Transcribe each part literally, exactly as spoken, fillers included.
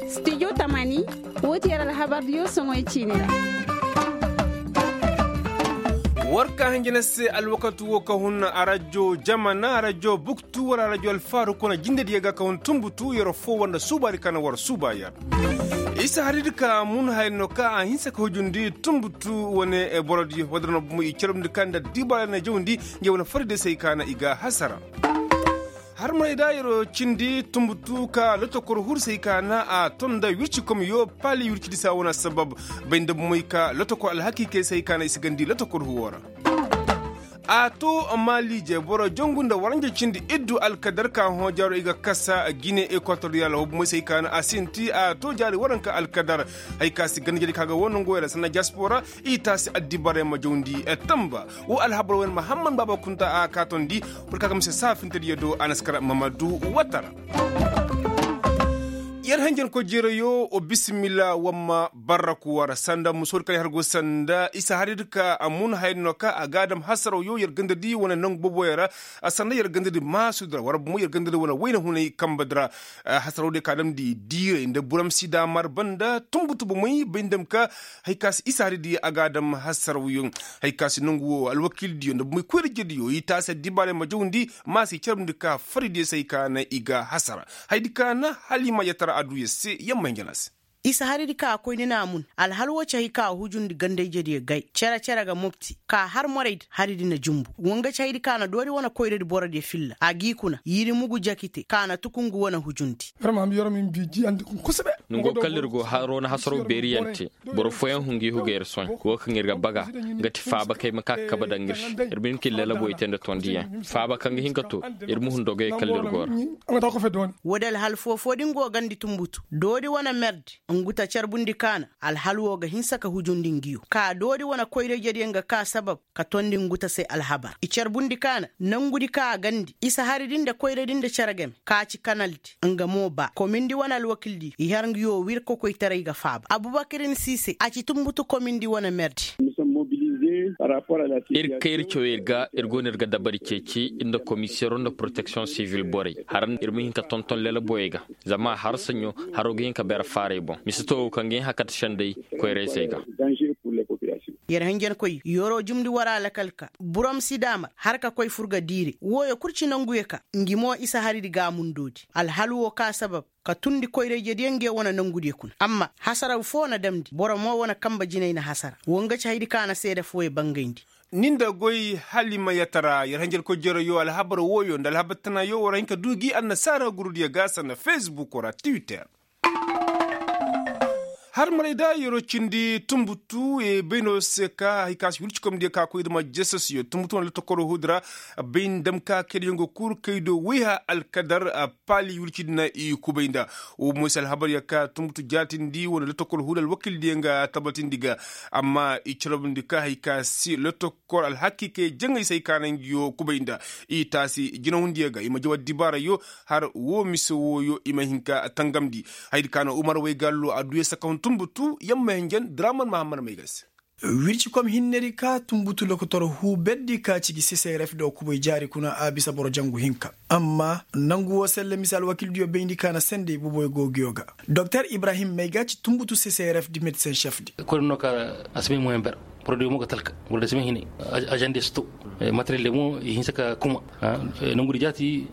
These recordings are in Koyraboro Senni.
Stijo tamani, woo ti yer alhabardiyo soŋoy ciini ra. War ka hanjina se alwakatu woo ka hun arajo jamana arajo buktu wala arajo alfaaru kuna jindediyo ga ka hun tumbutu yer foo wanda suubaadi ka na war suuba yer. Isa haridi ka mun hayno ka a hinsa ka hujundi tumbutu wane borodiyo wadda na bumo i carabndi ka nda dibaara na jawndi nge wane faride se i ka na i ga hasara. Har mayda yer'o cindi tumbutu ka lotokor hur se i ka na a ton nda wirci kom yo paali wircidi se a wane assabab. Bay nda bumoy ka lotokor alhakiikey se i ka na i si gandi lotokor huwo ra. A to maaliije boro jongu nda waranja cindi iddu alkadar ka hõ jaaro i ga kasa gine ekwatoriyal wo bumoy se i ka na a sinti a to jaari waranka alkadar. Hay ka si ganda jadi ka ga wo nongoy ra sanna jaspora i taasi addibaray ma jawndi tamba. Wo alhabar wane mahamman baaba kunta a kaatondi. Boro ka ga mise saafintediyo do a na si kar mamadu watara. Yer hanjankoy jeerayo wa bisimilla wamma barraku war sanda musoodi kaŋ ay har go sanda isa haridi ka a mun hayadi no ka a ga a dam hasaraw yo yer gandadi wane nangu boboyo ra. A sanda yer gandadi maasudi ra war bumo yer gandadi wane wayna hunay kambadi ra. Hasaraw diyo ka damndi diiray nda buram si daamar banda tumbutu bomey bay nda ma ka. Hay ka se isa haridi a ga a dam hasaraw yo. Hay ka se nangu wo alwakiildiyo nda bomey koyra-ijediyo i taasi addibaaray ma jawndi. Ma se i carabndi ka faridiyo se hay ka na i ga hasara. Hayadi ka na hala i ma yatara adduya se yamma hinja na se. Isa haridi ka a koyni na a mun alhal wo ci hay ka a hujundi ganda-ijediyo gay cere-cere ga mopti ka har moraydi haridi na jumbu. Wanga ci hayadi ka na doori wane koyradi borodiyo filla a g'i kuna yiri mugu jakite ka na tuku ngu wane hujundi. Nongo kala ir go haro na hasaro beeri yaŋ te. Boro fooyaŋ hun ga i huga ir sohõ wo kaŋ ir ga baga nga ti faaba kaŋ ay ma ka ga kabe daŋ ir se. Ir ma hin ka ir lalaboy te nda tondiyaŋ faaba kaŋ ga hin ka to. Ir ma hun dogey kala ir go ra. Woodi alhal foo-foo din go gandi tumbutu doodi wane merdi. Ngu ta carbundi ka na alhal wo ga hinsa ka hujundi ngiyo ka doodi wane koyra-ijediyaŋ ga ka sabab ka tondi ngu ta se alhabar i carbundi ka na nangudi ka a gandi isa haridi nda koyradi nda cere game ka ci kanaldi. Nga mo ba komindi wane alwakildi i har ngiyo wir kokoytaray ga faaba abubakar ni si se a ci tumbutu komindi wane merdi. Ir kayri cawey ga ir go no ir ga dabari ceeci nda komiseero nda poroteksiyoŋ sivil borey har ir ma hin ka tonton lelaboyey ga. Zama har saɲɲo haro ga hin ka beera faaray boŋ mise to wo kaŋ ga hin hakata sendey koyra-izey ga. Yer hinjankoy yeroo jumndi war a lakal ka buram si daamar har ka koy fur ga diire wooyo kul ci nanguyo ka ngi mo isa haridi gaamundoodi alhal woo ka sabab ka tundi koyra-ijediyo nge wane nangudiyo kuna amma hasaraw foo na damndi boro mo wane kambe jinay na hasara woo nga ci hayadi ka na seede fooyo bangayndi. Ni nda goy hala i ma yatara yer hinjankoy jeroyo alhabar wooyo nda alhabar tanaayo war a hin ka du gi annasaara gurudiyo ga sanda fesbukoo ra twitter. Har maray da yeroo cindi tumbutu bayno se ka hay ka si wircikomdiyo ka koy dama jesosiyo tumbutu wane lotokoro huudi ra. Bay nda ma ka kaydiyo nga kuru kaydo wayha alkadar paali wircidi na i kubay nda. Wo mo se alhabar ya ka tumbutu jaatindi wane lotokoro huudi alwakildiyo nga tabatindi ga. Amma i carabndi ka hay ka si lotokoro alhakiikey jaŋay se hay ka na ngiyo kubay nda. I taasi jinahundiyo ga i ma jaw addibaarayo. Har woo mise wooyo i ma hin ka tangamndi. Hayadi ka na umar waygallo adduya sakahun tumbutu yamma hinjan draman mahamman may ga se. Wircikom hinnedi ka tumbutu lokotor huu berdi ka ci gi seseref do kubay jaari kuna a bisa boro jangu hinka. Amma nangu woo selle mise alwakildiyo bayndi ka na sendey boboyo go nguyo ga. Doktor ibrahim may ga ci tumbutu seseref di medsen šefdi. Koy no ka a si bay moyen ber. Porodiyo mo ga talka. Porodiyo si bay hinay. Ažandiyo si to. Materiel de mo i hinsa ka kuma. Nangudi jaati.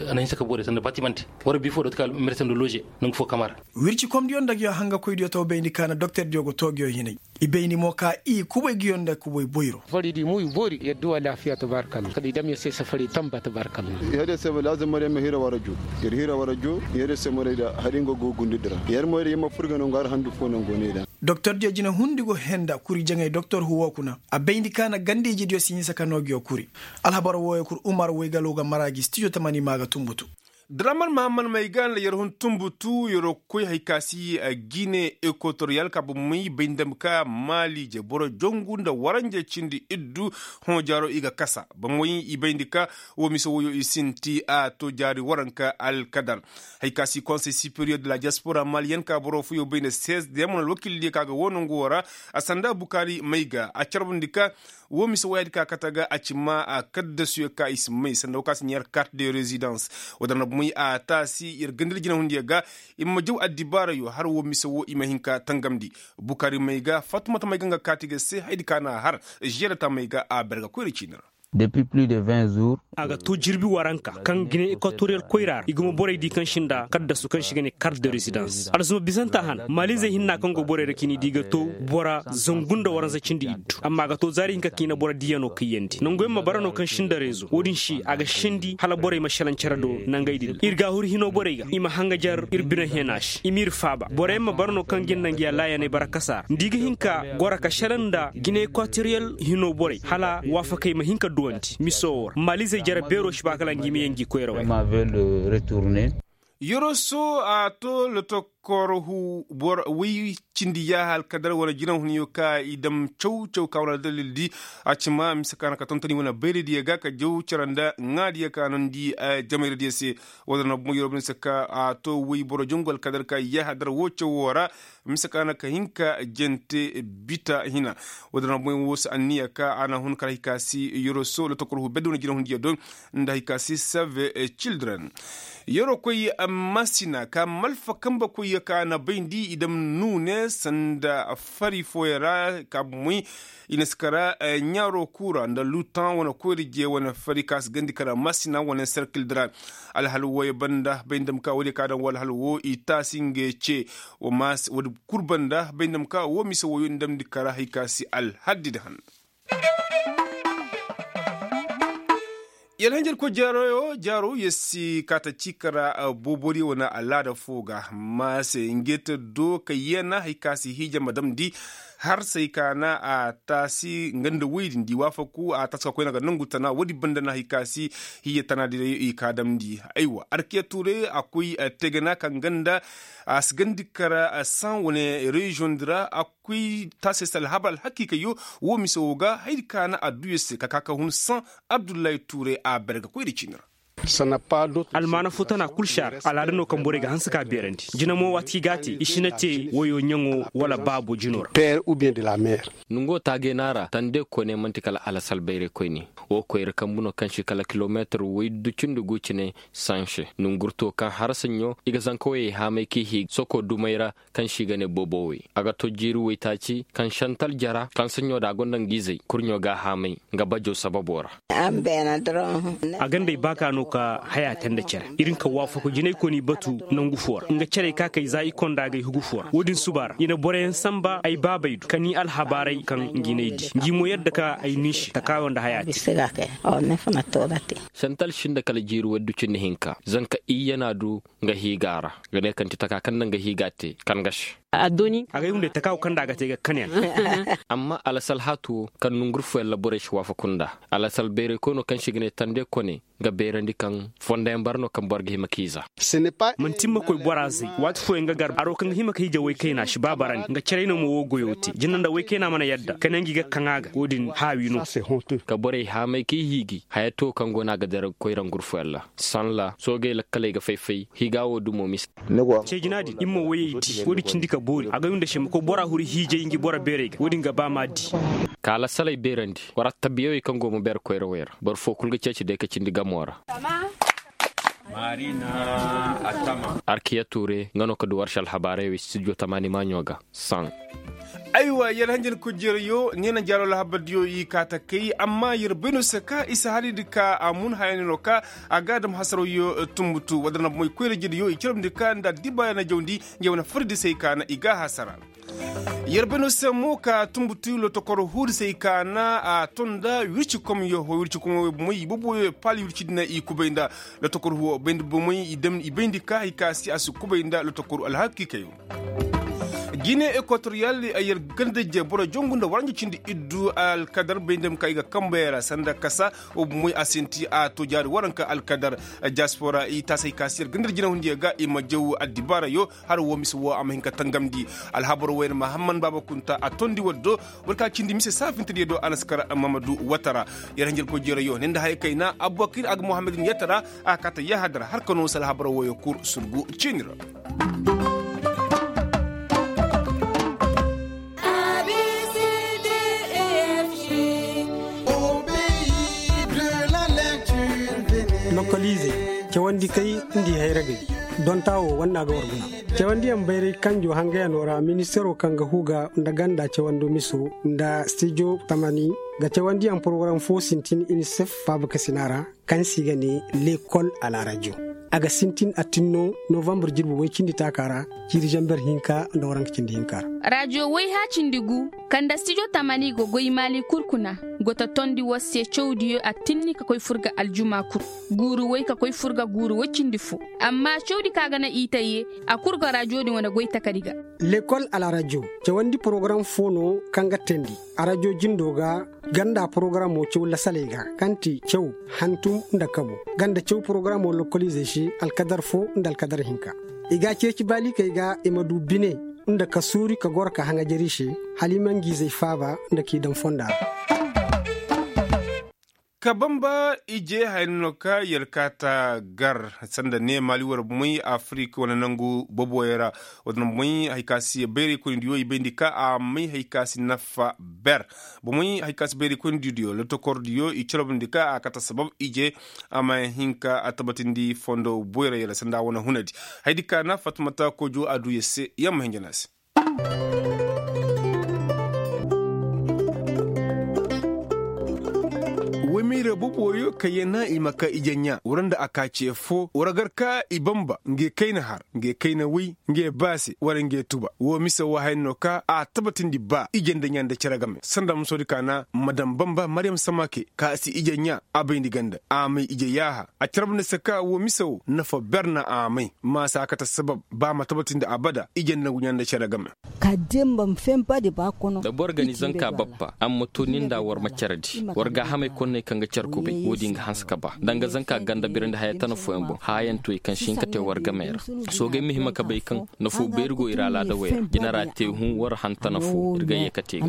A na hinsa ka boori sanda batimante. War bi foo do ti ka mersen do lože. Nangu foo kamara. Wircikomdiyo nda nguyo hangakoydiyo to bayndi ka na doktordiyo go to nguyo hinay. I bayndi mo ka i kubay nguyo nda kubay boyro. Fari di mo i boori yer duwa laafiya tabarakalla kala i dam yer se safari tamba tabarakalla. Yer se mo laazim mo day ma hira wara jo. Yer hira wara jo. Yer se mo day da hari nga go gundudi ra yer mo day yer ma fur ga nangu har handu foo nangu ne da. Doktordiyo jinahundi go henda kuri jaŋay doktor huwo kuna. A bayndi ka na ganda-ijediyo si hinsa ka noo nguyo kuri. Alhabar wooyo kul umar waygalo ga mara gi stijo tamani maa ga tumbutu. Draman mahamman may ga nda yer hun tumbutu yeroo koy hay ka si gine ekotoriyal ka bomey bay nda ma ka maaliije boro jongu nda waranje cindi iddu. Hõ jaaro i ga kasa bomey i bayndi ka woo mise wooyo i sinti a to jaari waranka alkadar. Hay ka si konsey siperiyer de la diaspora maliyen ka boro fooyo bay nda sees de yamma wane alwakildiyo ka ga woo nongu woo ra. A sanda bukaari may ga a carbundi ka woo mise wooyaadi ka kate ga a ci maa a kaddasuyo ka i si may sanda woo ka si ɲeer kart de rezidans. Woo da na A taasi yer gandari jinahundiyo ga i ma jaw addibaarayo har woo mise woo i ma hin ka tangamndi. Bukari may ga fatumata may ga nga kaati ga se haydi ka na a har. Žeera taamay ga a berga koyra ciini ra. A ga too jirbi waranka kaŋ gine ekwatoriyal koyra ra i gumo borey di kaŋ si nda kaddasu kaŋ si ga ne kart de rezidans alzuma bisanta han maalizey hinna kaŋ go borey ra cini di ga too bora zangu nda waranza cindi iddu amma a ga too zaari hinka kiina boro diiyano kayyandi nanguyaŋ ma bara no kaŋ si nda reezo wo-din se a ga sendi hala borey ma šelaŋ cere do nangey din ir gaahuri hino borey ga i ma hangajar ir bine heena se i m'ir faaba boroyaŋ ma bara no kaŋ ga ir naŋ ga ya laayaney bara kasa ra nda i ga hin ka goro ka šelaŋ nda gine ekwatoriyal hino borey hala waafakey ma hin ka duwandi miso woo ra maalizey jere beeroo si ba kala ngi ma yee ngi koyra wey. Yeroo soo a too lotokor woy cindi yaaha alkadar wane jinahuniyo ka i dam caw caw ka wane aldalil di a cima mise ka na ka tontoni wane bayradiyo ga ka jaw cere nda ŋaadiyo ka nondi jamayra diyo se. Wala na boŋ yeroo bine se ka a too woy boro jangu alkadar ka yaaha dar woo caw woo ra. Mise ka na ka hin ka jante bita hina. Wala na boŋ woo se anniya ka a na hun kala hikaasi yeroo soo lotokor hu bedde wane jinahundiyo do nda hikaasi save cildren. Yeroo koy masina ka malfa kambe koy ka na bayndi i dam nuune sanda fari fooyaŋ ra ka bomoy i na si kara ɲaaroo kuu ra nda lutan wane koyra je wane fari ka si gandi kara masina wane serkil di ra. Alhal wooyo banda bay nda ma ka woodiyo ka daŋ woo alhal woo i taasi ngey ce. Woodi kul banda bay nda ma ka woo mise wooyo nda ma di kara hay ka si alhaddi di han. Yalhanjarkoy jaaro yer si kaata ciika ra boobodiyo wane alaada foo ga maase ngey te do ka yeena hay ka si hiija ma damndi. Harsey ka na a taasi nga nda woy din di waafaku a taasi ka koyna ga nangu tana woodi banda na hay ka si hiija tana di day i ka damndi. Aywa arkiya tuuray a koy tegena ka nga nda a si gandi kara san wane reziyoŋ di ra a koy taasey se alhabar alhakiikayyo. Woo mise woo ga haydi ka na adduyo se ka ka ka hun san. Abdullahi tuuray a berga koyra ciini ra. Almaana foo tana kul si a ra alaada no kaŋ borey ga hanse ka beerandi jina mo waati kaŋ i ga a te i si na te woyo ɲaŋo wala baabo jino ra. Nongo taagay no a ra tande kone man'ti kala alasal bayraykoyne. Woo koyra kambu no kaŋ si kala kilomeetir woy du cindi gu cine sanse nongurto kaŋ harsaɲo i ga zanka woyey haamay k'i hii soko dumey ra. Kaŋ se i ga ne boobowey a ga to jiiri woytaaci kaŋ santal jara kaŋ saɲɲo da a gonda nga izey kurɲo ga a haamay nga bajo sababo ra. A ga nda ay baaka no ka haya te nda cere. Ir nka waafaku jinay kooni batu nangu foo ra nga cerey ka kay za i konda agay hugu foo ra wo-din suba ra i na boroyaŋ sanba ay baabey du ka ni alhabaaray kaŋ ngi n'ay di ngi mo yadda ka ay ni se takaayo nda haya te. Santal sinda kala jiiri woy du cindi hinka zanka iyye na a du. Nga hiiga ra ga ne kaŋ ti taka kaŋ na nga hiiga te kaŋ ga se. Agay hunday taka wo kaŋ nda a ga te ga kaneyaŋ. Amma alasalhatu wo kaŋ nongurfuyaŋ ra borey si waafaku nda alasal bayray koy no kaŋ se i ga ne tande kone. Nga beerandi kaŋ fondayaŋ bara no kaŋ boro ga hima k'i za. Man'ti ma koy bora zay waati fooyaŋ ga gar aro kaŋ ga hima ka hiija woy kayna si ba bara ne nga caray no ma woo goyo te jina nda woy kayna mana yadda kaneyaŋ gi ga kaŋ a ga wo-din haawi no. Ka borey haamay k'i hiiji haya to kaŋ go no a ga dira koyra ngurfuyaŋ ra. Sanla soogey lakkaley ga fay-fay hiiga wo dumo mise. Ceejina din ir ma woyey di wo-din cindi ka boori agay nda se ma koy bora huru hiijay ngi boro beerey ga wo-din ga ba m'a di. Kaala salay beerandi war attabiyawey kaŋ go ma beer koyrawey ra boro foo kul ga ceeci day ka cindi gamo ra. Arkiya tuure nga no ka du war se alhabaarey wey studio tamaani maaɲo ga. Saŋ. Aywa yer hanjankoy jeerayo neena jaaro alhabardiyo i kaa ta kay amma yer bay no se ka i si hari di ka a mun haya ne no ka a ga a dam hasarawyo tumbutu wala na bomoy koyra jediyo i caramndi ka nda addibaaya na jawndi ngey wane fari di se i kaa na i ga a hasara. Yer bay no se mo ka tumbutu lotokor huudi se i kaa na a ton nda wirci komyo wirci komyo bomoy i boboyo paali wirci di na i kubay nda lotokor huwo bayndi bomoy i bayndi ka hay ka se a si kubay nda lotokor alhakiikayo. Gine ekwatoriyal yer ganda je boro jongu nda waranja cindi iddu alkadar bay nda ma ka i ga kambey ra sanda kasa wo bomoy a sinti a to jaari waranka alkadar. Diaspora i taasay ka se yer ganda jinahundiyo ga i ma jaw addibaarayo. Har wo mise wo a ma hin ka tangamndi alhabar wo yer mahamman baaba kunta a tondi waddo. Boro ka cindi mise saafintediyo do a na si kar mamadu watara. Yer hanjarkoy jeerayo ne nda haya kayna abubakir a ga muhammadin yatara. A kaata yahadar har ka no se alhabar woyo kul surgu ciini ra. Lokoliizey. Cawandi kay nda i hayragay. Donta wo wanna ga war guna. Cawandiyaŋ bayray kanjo hangayanoo ra ministeeroo kaŋ ga huga nda ganda cawando miso nda stijo tamani ga cawandiyaŋ porogaram foo sintin inisef faaba kasina ra, kaŋ se i ga ne lekol a la rajo. A ga sintin attinno novambar jirbi woy cindi taakaa ra, ciiri zamber hinka nda waranka cindi hinka ra. Rajo woy hã cindi gu kaŋ nda stijo tamani ga goy maali kul kuna, go ta tondi war se cawdiyo attinni ka koy fur ga aljuma kul, guuru woy ka koy fur ga guuru woy cindi fo. Amma cawdi kaŋ a ga naŋ i tayye, a kul ga rajo din wane goy takari ga. Lekol a la rajo cawandi porogaram foo no kaŋ ga teendi a rajo jindo ga, ganda porogaramo caw lasaley ga, kaŋ ti caw, hantum nda kabo, ganda caw porogaramo lokoliizey se alkadar fo nda alkadar hinka. I ga a ceeci baalikey ga i ma du bine nda ka suuri ka goro ka haŋajer i se, hala i ma ngi izey faaba nda k'i daŋ fonda ra. Ka bamba ije haya no ka yalkaata gar sanda ne maali war bomey afirik wane nangu boboyey ra. Wadin bomey hari ka si bayraykoynidiyo i bayndi ka a may hari ka si nafa ber. Bomey hari ka si bayraykoynidiyo lotokordiyo i carabndi ka a kate sabab ije a ma hin ka a tabatindi fondo boyra yala sanda wane hunadi. Haydi ka na fatumata kojo a du ya se ya ma hinjana se. Waymayra boboyo ka yana i ma ka ije ɲa wara nda a ka ce fo wara gar ka i bamba nge kayna har nge kayna way nge baase wara nge tuba wo mise wo hayan no ka a tabatindi ba ije nda ɲa nda cere game sanda musoodi ka na madam bamba maryam samake ka si ije ɲa a bayndi ganda a may ije yaaha a carabndi se ka wo mise wo nafa ber na a may maasa kate sabab ba ma tabatindi abada ije nda ɲa nda cere game. Da boro ga ni zanka bappa amma ma to ni nda war ma care di war gaahamey konney kaŋ ga care kubay wo-din ga hanse ka ba danga zanka ganda birandi haya tana fooyaŋ boŋ haayaŋ to i kaŋ si hin ka te war gamey ra. Soogey ma hima ka bay kaŋ nafoo bayri go ir alaada wey ra jinara te hũ war han tana foo ir ga ye ka te ga.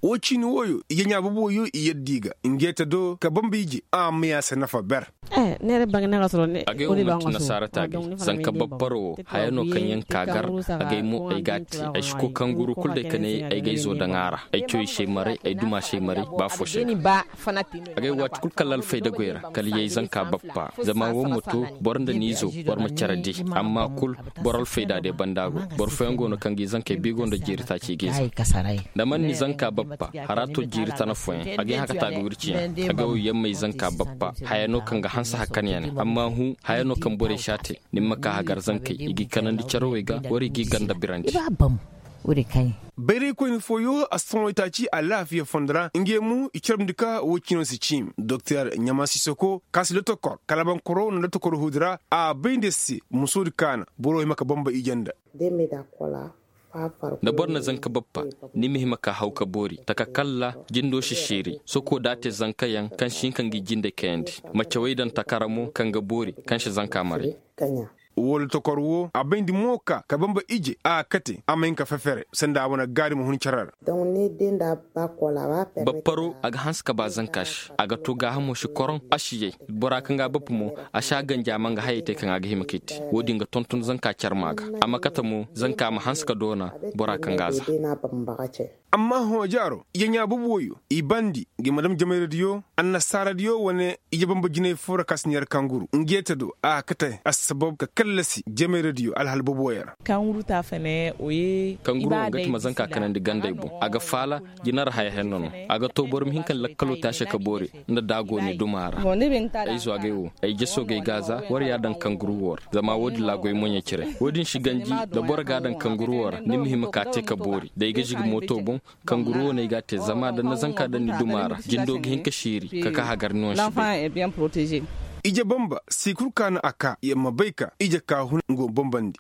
Wo ciini wooyo ije ɲaa bobo wooyo i yadda i ga nge te do ka bamba ije a ma ya se nafa ber. Agay wo manti nasaara taagay zanka bapparo wo haya no kaŋ yaŋ ka gar. Agay mo ay g'a te ay si koy kanguru kul day ka ne ay ga ay zo daŋ a ra ay coy se maray ay duma se maray ba fo se. Agay waati kul kala alfayda goy ra kala yay zanka bappa zama wo ma to boro nda ni zo boro ma care di. Amma kul boro alfayda day banda go boro fooyaŋ go no kaŋ ga i zankey biigo nda jeeri taaci ga i zan da man ni zanka bappa hara to jeeri tana fooyaŋ a ga ay hã ka ta ga wirci yaŋ. A ga wo yaŋ ma ay zanka bappa haya no kaŋ ga hanse hakan yaŋ ne amma hũ haya no kaŋ borey si a te. Ni ma ka hagar zankey i g'i kanandi carawey ga war i g'i ganda birandi. Bayraykoyni fooyo a si taŋ waytaaci alaafiya fondo ra ngey mo i carabndi ka wo ciino si ciimi doktor ɲama sisoko ka si lotokor kalabankoro nda lotokor huudi ra a bay nda se musoodi kaana boro hima ka bamba ije nda. Da boro na zanka bappa ni ma hima ka haw ka boori taka kalla jindo si siiri soko da a te zankayaŋ kaŋ si hin ka ngi jinde kayandi. Ma cawey daŋ takara mo kaŋ ga boori kaŋ si zanka maray. Wala tokor wo a bayndi mo ka ka bamba ije a kate a ma hin ka fefere sanda a wane gaari ma hun care ra. Bapparo a ga hanse ka ba zanka se a ga to gaahamo si koroŋ a si yay. Bora kaŋ ga a bappa mo a si a ganji a ma nga hayey te kaŋ a ga hima k'i te. Wo-din ga tonton zanka care ma ga a ma kate mo zanka ma hanse ka doona bora kaŋ ga a za. Amma hõ jaaro ije ɲaa boobo wooyo i bandi ngi ma dam jamayradiyo annasaaradiyo wane ije bamba jinay foo ra ka si neera kanguru nge te do a ga kate assabab ka kallasi jamayradiyo alhal boobo wooyo ra. Kanguru wo nga ti ma zanka kanandi gandey boŋ a ga faala jinara haya henno no. A ga to boro ma hin ka lakkalo te a se ka boori nda da a go ni duma ra. Ay zo agay wo ay jeso gay gaaza war ya daŋ kanguru wo ra zama wo-din ra goy moɲey cire. Wo-din si ganji da boro ga a daŋ kanguru wo ra ni ma hima ka te ka boori da ay ga zigi mooto boŋ. Kanguru wo no ay ga a te zama da ni na zanka daŋ ni duma ra jindo ga hin ka siiri ka ka hagar ni wane si bay. Ije bamba si kul ka no a ka yer ma bay ka ije ka hun nga wo bambandi.